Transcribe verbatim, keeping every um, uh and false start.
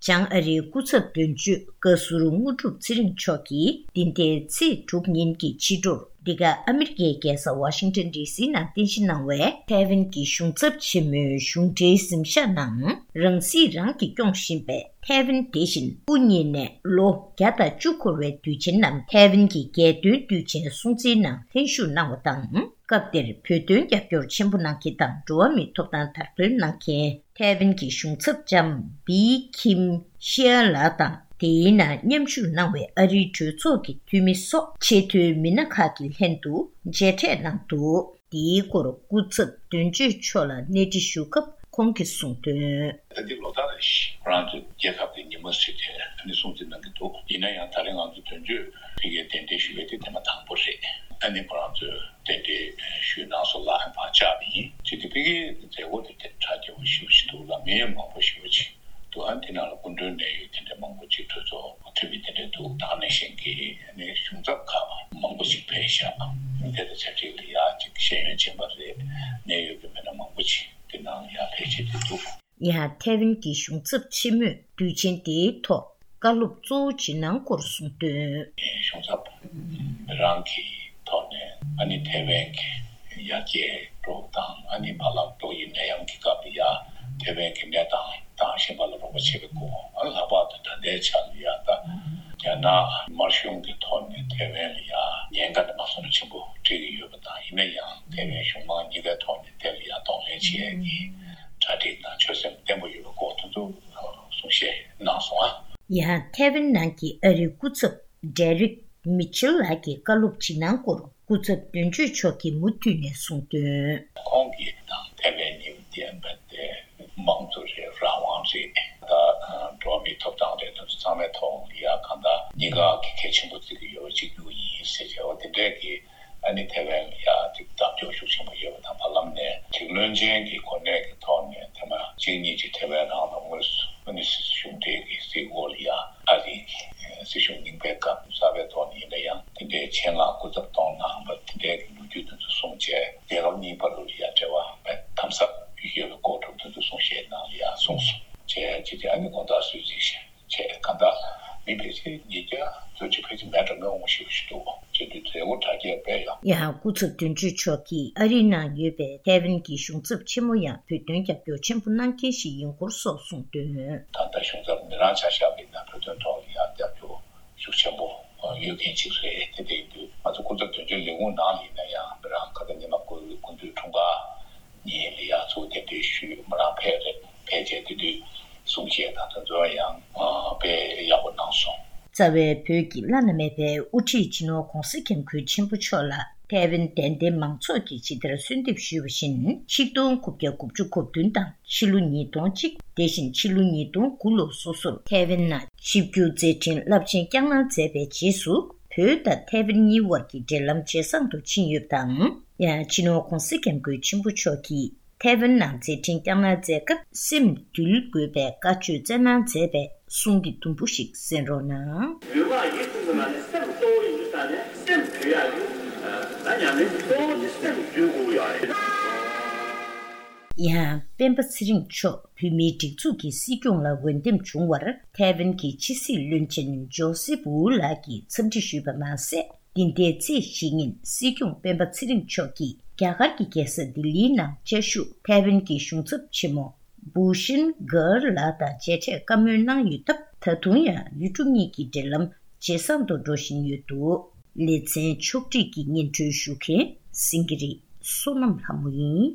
བྱང་ཨ་རིའི་སྐུ་ཚབ་དོན་གཅོད་བཀའ་ཟུར་དངོས་གྲུབ་ཚེ་རིང་མཆོག་གིས་འདི་ཟླའི་ཚེས་དྲུག་ཉིན་གྱི་ཕྱི་དྲོར་འདི་ག་ཨ་མི་རི་ཀའི་རྒྱལ་ས་ཝ་ཤིང་ཊོན་ཌི་སི་ནང་རྟེན་གཞི་གནང་བའི་ཐའེ་ཝན་གྱི་གཞུང་ཚབ་ཆེན་མོའི་གཞུང་འབྲེལ་གཟིམ་ཤག་ནང་རང་སྲིད་རང་གིས་སྐྱོང་བཞིན་པའི་ཐའེ་ཝན་དེ་བཞིན་སྐུ་ཉིད་ནས་ལོ་བརྒྱ་དང་བཅུ་འཁོར་བའི་དུས་ཆེན་ནམ་ཐའེ་ཝན་གྱི་རྒྱལ་སྟོན་དུས་ཆེན་སྲུང་བརྩིའི་ནང་ལྷན་ཞུགས་གནང་བ་དང་། སྐབས་དེར་བོད་དོན་རྒྱབ་སྐྱོར་ཆེན་པོ་གནང་མཁན་དང་འགྲོ་བ་མིའི་ཐོབ་ཐང་དར་སྤེལ་གནང་མཁན་ཐའེ་ཝན་གྱི་གཞུང་ཚབ་ལྕམ་བི་ཁིམ་ཤི་ཡ་ལགས་དང་། དེའི་ནང་མཉམ་ཞུགས་གནང་བའི་ཨ་རིའི་གྲོས་ཚོགས་ཀྱི་འཐུས་མི་སོགས་ཆེས་མཐོའི་མི་སྣ་ཁག་གི་ལྷན་དུ་མཇལ་འཕྲད་གནང་འདུག་དེའི་སྐོར་སྐུ་ཚབ་དོན་གཅོད་མཆོག་ལ་གནས་འདྲི་ཞུ་སྐབས་ཁོང་གིས་གསུངས་དོན། ད་འདི་ལོ་ལྟར་རེ་བཞིན་ཁོ་རང་ཚོའི་རྒྱལ་ཁབ་ཀྱི་ཉིན་མོ་ཟེར་ཏེ་ཨ་ནི་སྲུང་བརྩི་གནང་གི་འདུག་ཡིན་ན་ཡང་ད་རེས་ང་ཚོ་དོན་གཅོད་ཕ་གིར་གདན་འདྲེན་ཞུ་བའི་དེ་ཐེངས་མ་དང་པོ་རེད། ཨ་ནི་ཁོ་རང་ཚོས་གདན་འདྲེན་ཞུས་གནང་སོང་ལ་ཕར་བཅར་བ་ཡིན། ཅི་སྟེ་ཕ་གིའི་མཛད་སྒོ་དེ་དེ་གྲ་རྒྱས་པོ་ཞེ་པོ་ཞིག་འདུག་ལ། མི་མང་པོ་ཞེ་པོ་ཅིག་འདུག་ཨ་ནི་དེ་ནང་ལ་སྐུ་མགྲོན་གནད་ཡོད་དེ་འདྲ་མང་པོ་ཅིག་གྲོས་ཚོགས་འཐུས་མི་དེ་འདྲ་འདུག་ད་ག་ནང་བཞིན་གྱི་ཨ་ནི་གཞུང་ཚབ་ཁག་མང་པོ་ཅིག་ཕེབས་ཤག་དེ་ལ་ཆབས་ཅིག་ལ་ཡ་ཅིག་ཤེས་ཡོན་ཅན་པ་རེད། གནད་ཡོད་ཀྱི་མི་སྣ་མང་པོ་ཅིག་དེ་ནང་ལ་ཡ་ཕེབས་བྱས་ཏེ་འདུག་ཡང་ཐའེ་ཝན་གྱི་གཞུང་ཚབ་ཆེན་མོས་དུས་ཆེན་དེའི་ཐོག་བཀའ་སློབ་གཙོ་བོ་ཇི་གནང་སྐོར་གསུངས་དོན། གཞུང་ཚབ་མི་རང་གི་ཐོག་ནས་ཨ་ནི་ཐའེ་ཝན་གྱི་ཡར་རྒྱས་འགྲོ་དང་ཨ་ནི་བར་ལམ་ཏོག་དབྱིབས་ནད་ཡམས་ཀྱི་སྐབས་ལ་ཡ་ཐའེ་ཝན་གྱི་གནས་སྟངས་དང་གཞན་པ་ལ་རོགས་པ་བྱེད་པའི་སྐོར། ཨ་ལྷག་པར་དུ་ད་ལྟའི་ཆ་ལ་ཡ་ད་རྒྱ་ནག་དམར་གཞུང་གི་ཐོག་ནས་ཐའེ་ཝན་ལ་ཡ་ཉེན་ཁ་དེ་མ་སོང་ན་ཆེན་པོ་འཕྲད་ཀྱི་ཡོད་པ་དང་། ཡིན་ན་ཡང་ཐའེ་ཝན་གཞུང་མང་གཉིས་ཀའི་ཐོག་ནས་དེ་ལ་ཡ་གདོང་ལེན་བྱེད་ཡས་ཀྱི་གྲ་སྒྲིག་དང་ཆོད་སེམས་བརྟན་པོ་ཡོད་པའི་སྐོར་དེ་ཚོ་གསུང་བཤད་གནང་སོང་ཨ། ཡང་ཐའེ་ཝན་ནང་གི་ཨ་རིའི་སྐུ་ཚབ་ཌེ་རིག་མི་ཆེལ་ལགས་ཀྱིས་བཀའ་སློབ་ཇི་གནང་སྐོར་སྐུ་ཚབ་དོན་གཅོད་མཆོག་གིས་མུ་མཐུད་ནས་གསུངས་དོན། ཁོང་གིས་དང་ཐའེ་ཝན་གཉིས་ལྡན་པ་དེ་དམངས་གཙོ་རེད། རང་དབང་རེད། ད་འགྲོ་བ་མིའི་ཐོབ་ཐང་རེད། དེ་ཚོ་ཚང་མའི་ཐོག་ལ་ཡ་གང་ལྟར་གཉིས་ཀ་གི་གལ་ཆེན་པོ་བརྩི་གི་ཡོད་པ་གཅིག་གྱུར་ཡིན་ཟེར་བྱས་པ་དེ་འདྲས་ཀྱི་ཨ་ནི་ཐའེ་ཝན་ལ་ཡ་ཅིག་བདག་སྐྱོང་ཤུགས་ཆེན་པོ་ཡོད་པ་དང་། བར་ལམ་ནས་རྒྱུས་ལོན་ཅན་གྱི་གོ་གནས་ཀྱི་ཐོག་ནས་ཐེངས་མ་གཅིག་གཉིས་ཀྱི་ཐའེ་ཝན་རང་ལ་དངོས་སུ་ཨ་ནི་སྲིད་གཞུང་འབྲེལ་གྱི་སྲིད་འགོ་ལ་ཡ་ཨ་རིའི་སྲིད་གཞུང་རྙིང་པའི་སྐབས་གསར་པའི་ཐོག་ནས་ཡིན་ན་ཡང་དེ་འདྲའི་ཆེད་མངགས་སྐུ་ཚབ་གཏོང་གནང་བ་དེ་འདྲའི་གི་ལོ་རྒྱུས་དེ་ཚོ་གསུངས་བྱས། རྒྱལ་ཁབ་གཉིས་བར་དུ་ལ་ཡ་འབྲེལ་བ་དམ་ཟབ་ཡོད་པའི་སྐོར་དེ་ཚོ་གསུང་བཤད་གནང་ལ་ཡ་གསུངས་སོང་བྱས། ཅི་སྟེ་ཨ་ནི་དགོང་དག་གསོལ་ཚིགས་བྱས། གང་ལྟར་མི་ཕལ་ཆེར་ཉིས་བརྒྱ་ཙམ་ཅིག་ཕལ་ཆེར་མེད་འགྲོ་མི་འོང་ཞེས་པ་ཞིག་འདུག་བྱེད་དུས་མཛད་སྒོ་གྲ་རྒྱས་སྤེལ་ཡང་། ཡང་སྐུ་ཚབ་དོན་གཅོད་མཆོག་གིས་ཨ་རིའི་ནང་ཡོད་པའི་ཐའེ་ཝན་གྱི་གཞུང་ཚབ་ཆེན་མོ་ཡང་བོད་དོན་རྒྱབ་སྐྱོར་ཆེན་པོ་གནང་མཁན་ཞིག་ཡིན་སྐོར་སོགས་གསུངས་དོན། ད་ལྟ་གཞུང་ཚབ་མི་རང་ཆ་བཞག་པ་ཡིན་ན་བོད་དོན་ཐོག་ལ་ཡང་རྒྱབ་སྐྱོར་ཤུགས་ཆེན་པོ་ཡོད་མཁན་ཅིག་རེད། དེ་དེ་ཡིན་དུས་ང་ཚོ་སྐུ་ཚབ་དོན་གཅོད་ལས་ཁུངས་ནང་ལ་ཡིན་ན་ཡང་མི་རང་ཁ་སང་ཉི་མ་དགུ་དགུ་འདུས་འཁྲུངས་སྐར་ཉིན་ལ་ཡ་ཚུར་གདན་འདྲེན་ཞུས། མོ་རང་ཕེབས་རེད། ཕེབས་རྗེས་དེ་དུས་གསུང་བཤད་དང་དེ་ཚོ་ཡང་ཨ་དཔེ་ཡག་པོ་གནང་སོང་། རྩ་བའི་བོད་ཀྱི་བླ་ན་མེད་པའི་དབུ་ཁྲིད་སྤྱི་ནོར་༧གོང་ས་༧སྐྱབས་མགོན་ཆེན་པོ་མཆོག་ལ་ཐའེ་ཝན་དད་ལྡན་མང་ཚོགས་ཀྱིས་ཇི་ལྟར་གསོལ་འདེབས་ཞུས་པ་བཞིན། ཆིག་སྟོང་དགུ་བརྒྱ་དགུ་བཅུ་གོ་བདུན་དང་ཕྱི་ལོ་ཉིས་སྟོང་གཅིག་དེ་བཞིན་ཕྱི་ལོ་ཉིས་སྟོང་དགུ་ལོ་སོ་སོར་ཐའེ་ཝན་ནང་ཆིབས་བསྒྱུར་མཛད་འཕྲིན་རླབས་ཆེན་བསྐྱངས་གནང་མཛད་པའི་རྗེས་སུ། བོད་དང་ཐའེ་ཝན་གཉིས་དབར་གྱི་འབྲེལ་ལམ་ཇེ་བཟང་དུ་ཕྱིན་ཡོད་པ་དང་། ཡང་སྤྱི་ནོར་༧གོང་ས་༧སྐྱབས་མགོན་ཆེན་པོ་མཆོག་གིས་ཐའེ་ཝན་ནང་མཛད་འཕྲིན་བསྐྱངས་གནང་མཛད་སྐབས་སེམས་འདུལ་དགོས་པའི་བཀའ་ཆོས་སྩལ་གནང་མཛད་པའི་གསུང་གི་དུམ་བུ་ཞིག་གསན་རོགས་གནང་། ལུས་ངག་ཡིད་གསུམ་གྱི་ནང་ནས་སེམས་གཙོ་བོ་ཡིན་དུས་ཙང་ནས་སེམས་འདུལ་ཡག་ཡིན། ད་ཉམས་ལེན་གཙོ་བོ་དེ་སེམས་འདུལ་དགོས་ཡག་ཡིན། ཡང་སྤེན་པ་ཚེ་རིང་མཆོག་བོད་མིའི་སྒྲིག་འཛུགས་ཀྱི་སྲིད་སྐྱོང་ལ་འོས་འདེམས་བྱུང་བར་ཐའེ་ཝན་གྱི་ཕྱི་སྲིད་བློན་ཆེན་ཇོ་སེབ་ཝུ་ལགས་ཀྱིས་འཚམས་འདྲི་ཞུས་པ་མ་ཟད། འདི་ཟླའི་ཚེས་བཞི་ཉིན་སྲིད་སྐྱོང་སྤེན་པ་ཚེ་རིང་མཆོག་གིས་རྒྱ་གར་གྱི་རྒྱལ་ས་ལྡི་ལིའི་ནང་བཅའ་བཞུགས་ཐའེ་ཝན་གྱི་གཞུང་ཚབ་ཆེན་མོ་བུ་ཤིན་གྷར་ལགས་དང་མཇལ་འཕྲད་བཀའ་མོལ་གནང་ཡོད་སྟབས། ད་དུང་ཡང་ཡུལ་གྲུ་གཉིས་ཀྱི་འབྲེལ་ལམ་ཇེ་བཟང་དུ་འགྲོ་བཞིན་ཡོད་འདུག་ལེ་ཚན་ཕྱོགས་སྒྲིག་གིས་སྙན་སྒྲོན་ཞུ་མཁན་སེང་གེ་རི་བསོད་ནམས་ལྷ་མོ་ཡིན།